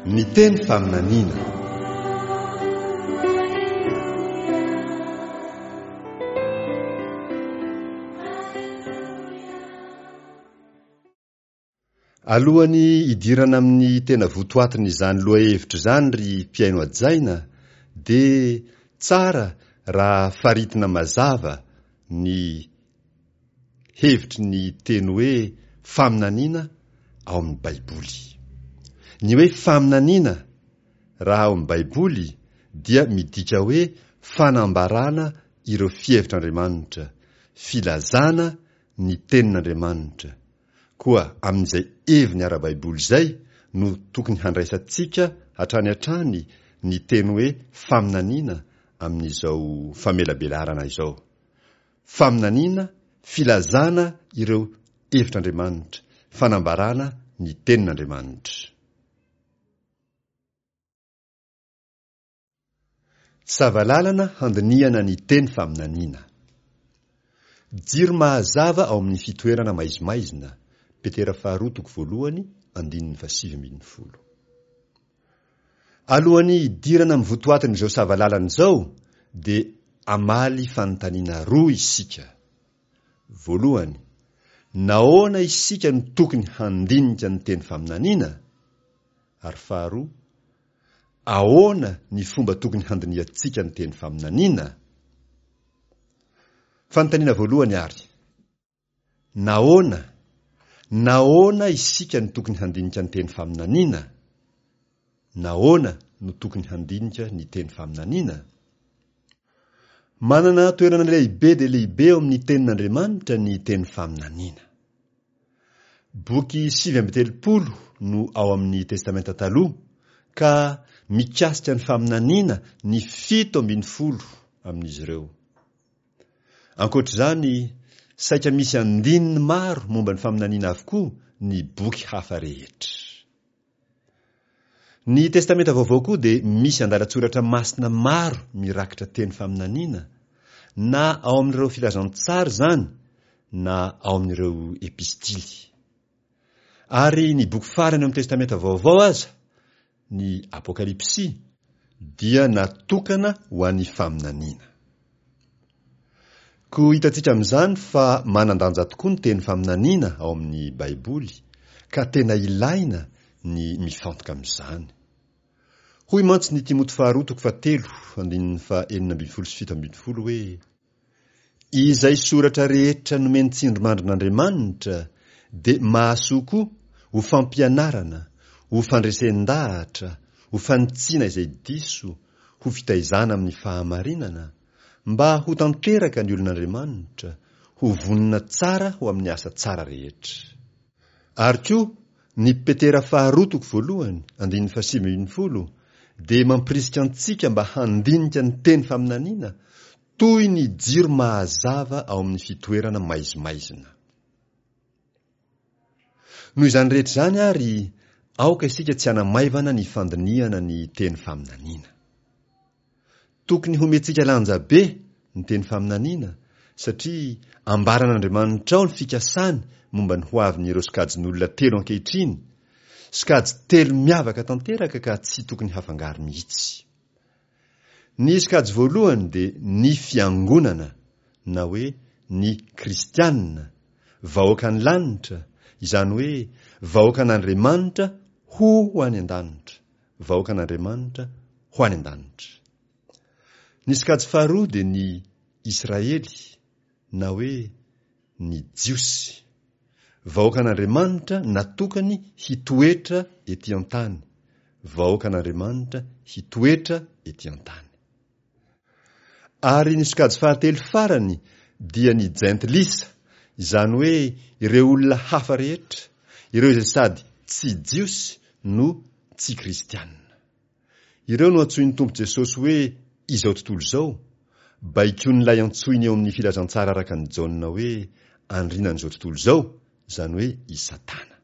Ny teny faminaniana. Alohan'ny hidirana amin'ny tena votoatin'izany lohahevitra izany ry mpihaino hajaina dia tsara raha faritina mazava ny hevitry ny teny hoe faminaniana ao amin'ny Baiboly. Ny hoe faminaniana raha ao amin'ny Baiboly dia midika hoe fanambarana ireo fihevitr'Andriamanitra, filazana ny tenin'Andriamanitra. Koa amin'izay heviny ara-baiboly izay no tokony handraisantsika hatrany hatrany ny teny hoe faminaniana amin'izao famelabelarana izao. Faminaniana, filazana ireo hevitr'Andriamanitra, fanambarana ny tenin'Andriamanitra. Savalalana handinihana ny teny faminaniana. Jiro mahazava ao amin'ny fitoerana maizimaizina, Petera faharoa toko voalohany andininy fahasivy ambin'ny folo. Alohan'ny hidirana amin'ny votoatin'izao savalalana izao dia hamaly fanontaniana roa isika. Voalohany, nahoana isika no tokony handinika ny teny faminaniana? Ary faharoa, ahoana ny fomba tokony handinihantsika ny teny faminaniana? Fanontaniana voalohany àry, Nahoana? Nahoana isika no tokony handinika ny teny faminaniana? Nahoana no tokony handinika ny teny faminaniana? Manana toerana lehibe dia lehibe ao amin'ny Tenin'Andriamanitra ny teny faminaniana. Boky 39 no ao amin'ny Testamenta Taloha, ka mikasika ny faminaniana ny 17 amin'izy ireo. Ankoatra izany, saika misy andininy maro momba ny faminaniana avokoa ny boky hafa rehetra. Ny Testamenta Vaovao koa dia misy andalan-tsoratra masina maro mirakitra teny faminaniana, na ao amin'ireo Filazantsara izany na ao amin'ireo Epistily. Ary ny boky farany ao amin'ny Testamenta Vaovao aza, ny Apokalypsy, dia natokana ho an'ny faminaniana. Koa hitantsika amin'izany fa manan-danja tokoa ny teny faminaniana ao amin'ny Baiboly, ka tena ilaina ny mifantoka amin'izany. Hoy mantsy ny Timoty faharoa toko fahatelo andininy faha-16 sy 17 hoe, Izay soratra rehetra nomen'ny tsindrimandrin'Andriamanitra dia mahasoa koa ho fampianarana, ho fandresen-dahatra, ho fanitsiana izay diso, ho fitaizana amin'ny fahamarinana, mba ho tanteraka ny olon'Andriamanitra, ho vonona tsara ho amin'ny asa tsara rehetra. Ary koa, ny Petera faharoa toko voalohany, andininy fahasivy ambin'ny folo, dia mampirisika antsika mba handinika ny teny faminaniana toy ny jiro mahazava ao amin'ny fitoerana maizimaizina. Noho izany rehetra izany àry, aoka isika tsy hanamaivana ny fandinihana ny teny faminaniana. Tokony homentsika lanja be ny teny faminaniana, satria ambaran'Andriamanitra ao ny fikasany momba ny hoavin'ireo sokajin'olona telo ankehitriny, sokajy telo miavaka tanteraka ka tsy tokony hafangaro mihitsy. Ny sokajy voalohany dia ny fiangonana na hoe ny kristiana, vahoakan'ny lanitra, izany hoe vahoakan'Andriamanitra ho any an-danitra, vahoakan'Andriamanitra ho any an-danitra. Ny sokajy faharoa dia ny Israely na hoe ny Jiosy, vahoakan'Andriamanitra natokany hitoetra ety an-tany, vahoakan'Andriamanitra hitoetra ety an-tany. Ary ny sokajy fahatelo farany dia ny Jentilisa, izany hoe ireo olona hafa rehetra, ireo izay sady tsy Jiosy no tsy Kristiana. Ireo no antsoin'ny Tompo Jesosy hoe izao tontolo izao, baikoin'ilay antsoiny eo amin'ny Filazantsara araka an'i Jaona hoe andrinan'izao tontolo izao, izany hoe i Satana.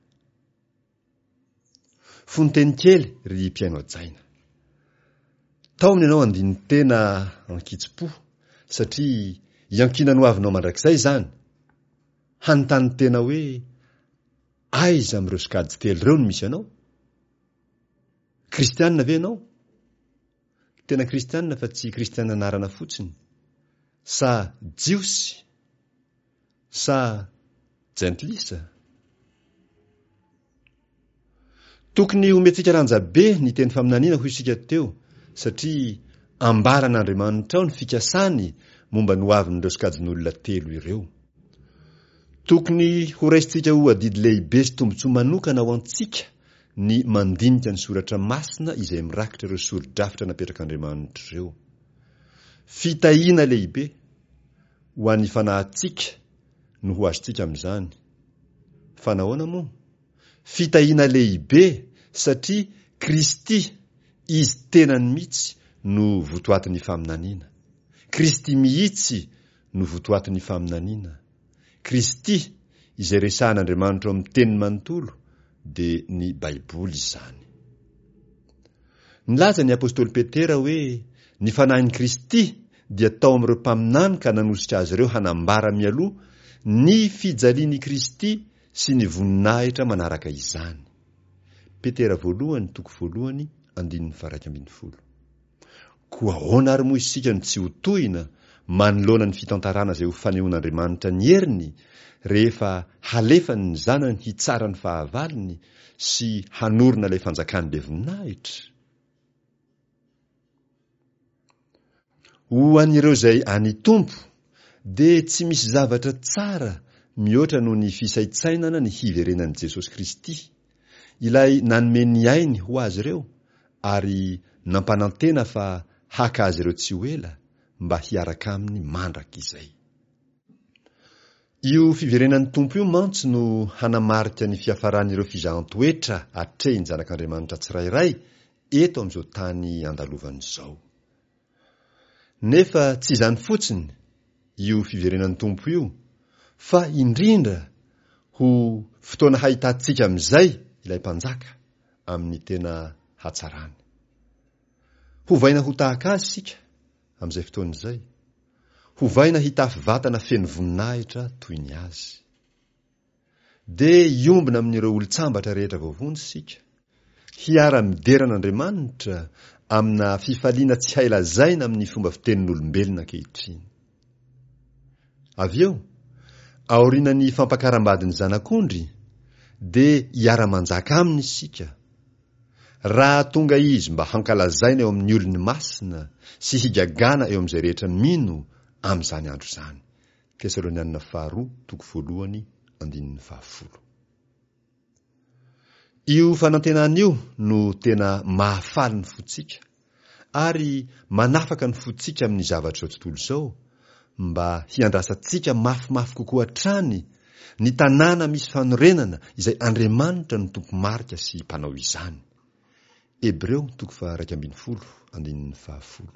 Fononteny kely ry mpihaino hajaina. Taomina ianao handini-tena an-kitsim-po, satria iankinan'ny hoavinao mandrakizay izany. Hanontany tena hoe, aiza amin'ireo sokajy telo ireo no misy anao? Kristianina ve ianao? Tena kristianina fa tsy kristianina anarana fotsiny? Sa Jiosy? Sa jentilisa? Tokony homentsika lanja be ny teny faminaniana hoy isika teo satria ambaran'Andriamanitra ao ny fikasany momba ny hoavin'ireo sokajin'olona telo ireo. Tokony horaisintsika ho adidy lehibe sy tombontsoa manokana ho antsika ny mandinika ny soratra masina izay mirakitra ireo sori-drafitra napetrak'Andriamanitra ireo. Fitahiana lehibe ho an'ny fanahintsika no ho azontsika amin'izany. Fa nahoana moa? Fitahiana lehibe satria Kristy, Izy tenany mihitsy no votoatin'ny faminaniana. Kristy mihitsy no votoatin'ny faminaniana. Kristy, izay resahan'Andriamanitra ao amin'ny Teniny manontolo, dia ny Baiboly izany. Nilaza ny apostoly Petera hoe ny fanahin'i Kristy dia tao amin'ireo mpaminany ka nanosika azy ireo hanambara mialoha ny fijalian'i Kristy sy ny voninahitra manaraka izany. Petera voalohany toko voalohany andininy faha 11. Koa ahoana ary moa isika no tsy ho tohina manoloana ny fitantarana izay ho fanehoan'Andriamanitra ny heriny rehefa halefany ny Zanany hitsara ny fahavalony sy hanorina ilay fanjakany be voninahitra? Ho an'ireo izay an'ny Tompo dia tsy misy zavatra tsara mihoatra noho ny fisaintsainana ny hiverenan'i Jesosy Kristy, ilay nanome ny ainy ho azy ireo ary nampanantena fa haka azy ireo tsy ho ela mba hiaraka aminy mandrakizay. Io fiverenan'ny Tompo io mantsy no hanamarika ny fiafaran'ireo fizahan-toetra atrehin'ny zanak'Andriamanitra tsirairay eto amin'izao tany andalovany izao. Nefa tsy izany fotsiny io fiverenan'ny Tompo io fa indrindra ho fotoana hahitantsika amin'izay ilay Mpanjaka amin'ny tena hatsarany. Hovaina ho tahaka Azy isika amin'izay fotoana izay. Hovaina hitafy vatana feno voninahitra toy ny Azy. Dia hiombona amin'ireo olon-tsambatra rehetra voavonjy isika, hiara-midera an'Andriamanitra amina fifaliana tsy hay lazaina amin'ny fomba fitenin'olombelona ankehitriny. Avy eo, aorianan'ny fampakaram-badin'ny Zanak'ondry, dia hiara-manjaka aminy isika, raha tonga izy mba hankalazaina eo amin'ny olony masina sy higagana eo amin'izay rehetra mino amin'izany andro izany. Tesalonianina Faharoa toko voalohany andininy fahafolo. Io fanantenana io no tena mahafaly ny fontsika ary manafaka ny fontsika amin'ny zavatr'izao tontolo izao mba hiandrasantsika mafimafy kokoa hatrany ny tanàna misy fanorenana izay Andriamanitra no tompo-marika sy mpanao izany. Hebreo toko faha-11 andininy fahafolo.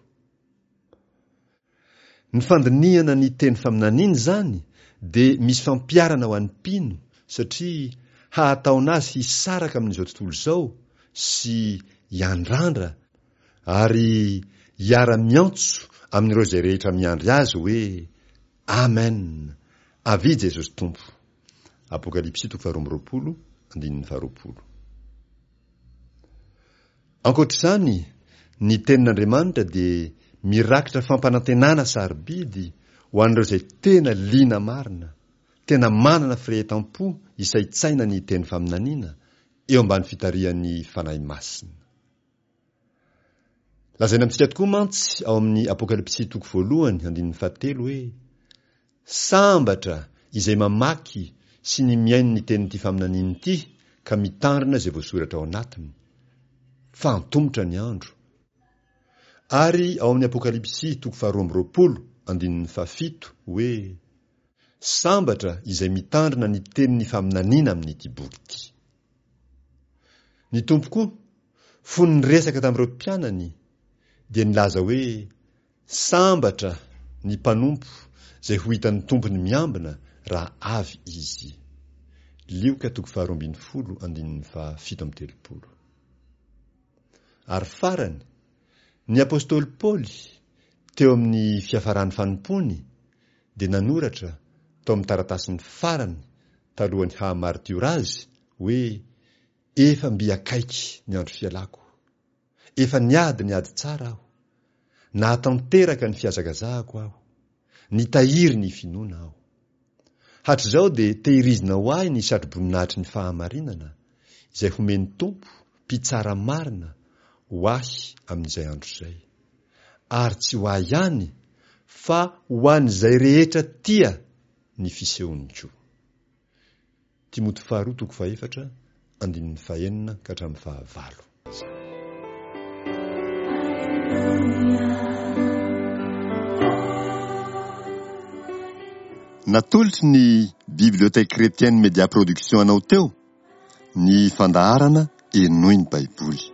Ny fandinihana ny teny faminaniana izany dia misy fampiharana ho an'ny mpino satria hahataona azy hisaraka amin'izao tontolo izao sy hiandrandra ary hiara-miantso amin'ireo izay rehetra miandry azy hoe Amen! Avia Jesosy Tompo! Apokalypsy toko faharoa amby roapolo andininy faharoapolo. Ankoatra izany, ny Tenin'Andriamanitra dia mirakitra fampanantenana sarobidy ho an'ireo izay tena liana marina, tena manana firehetam-po hisaintsaina ny teny faminaniana eo ambany fitarihan'ny Fanahy Masina. Lazaina amintsika tokoa mantsy ao amin'ny Apokalypsy toko voalohany andininy fahatelo hoe, Sambatra izay mamaky sy ny mihaino ny tenin'ity faminaniana ity ka mitandrina izay voasoratra ao anatiny, fa antomotra ny andro. Ary ao amin'ny Apokalypsy toko faharoa amby roapolo andininy fahafito hoe, Sambatra izay mitandrina ny tenin'ny faminaniana amin'ity boky ity. Ny Tompo koa, fony niresaka tamin'ireo mpianany, dia nilaza hoe, Sambatra ny mpanompo izay ho hitan'ny tompony miambina raha avy izy. Lioka toko faharoa ambin'ny folo andininy fahafito amby telopolo. Ary farany, ny apostoly Paoly, teo amin'ny fiafaran'ny fanompoany, dia nanoratra tao amin'ny taratasiny farany talohan'ny haha-maritiora azy hoe, Efa mby akaiky ny andro fialako. Efa niady ny ady tsara aho. Nahatanteraka ny fihazakazahako aho. Nitahiry ny finoana aho. Hatrizao dia tehirizina ho ahy ny satroboninahitry ny fahamarinana, izay homen'ny Tompo, Mpitsara marina, ho ahy amin'izay andro izay. Ary tsy ho ahy ihany, fa ho an'izay rehetra tia ny fisehony koa. Timoty faharoa toko fahefatra, andininy fahenina ka hatramin'ny fahavalo. Natolotry ny Bibliothèque Chrétienne Media Production anao teo ny fandaharana Henoy ny Baiboly.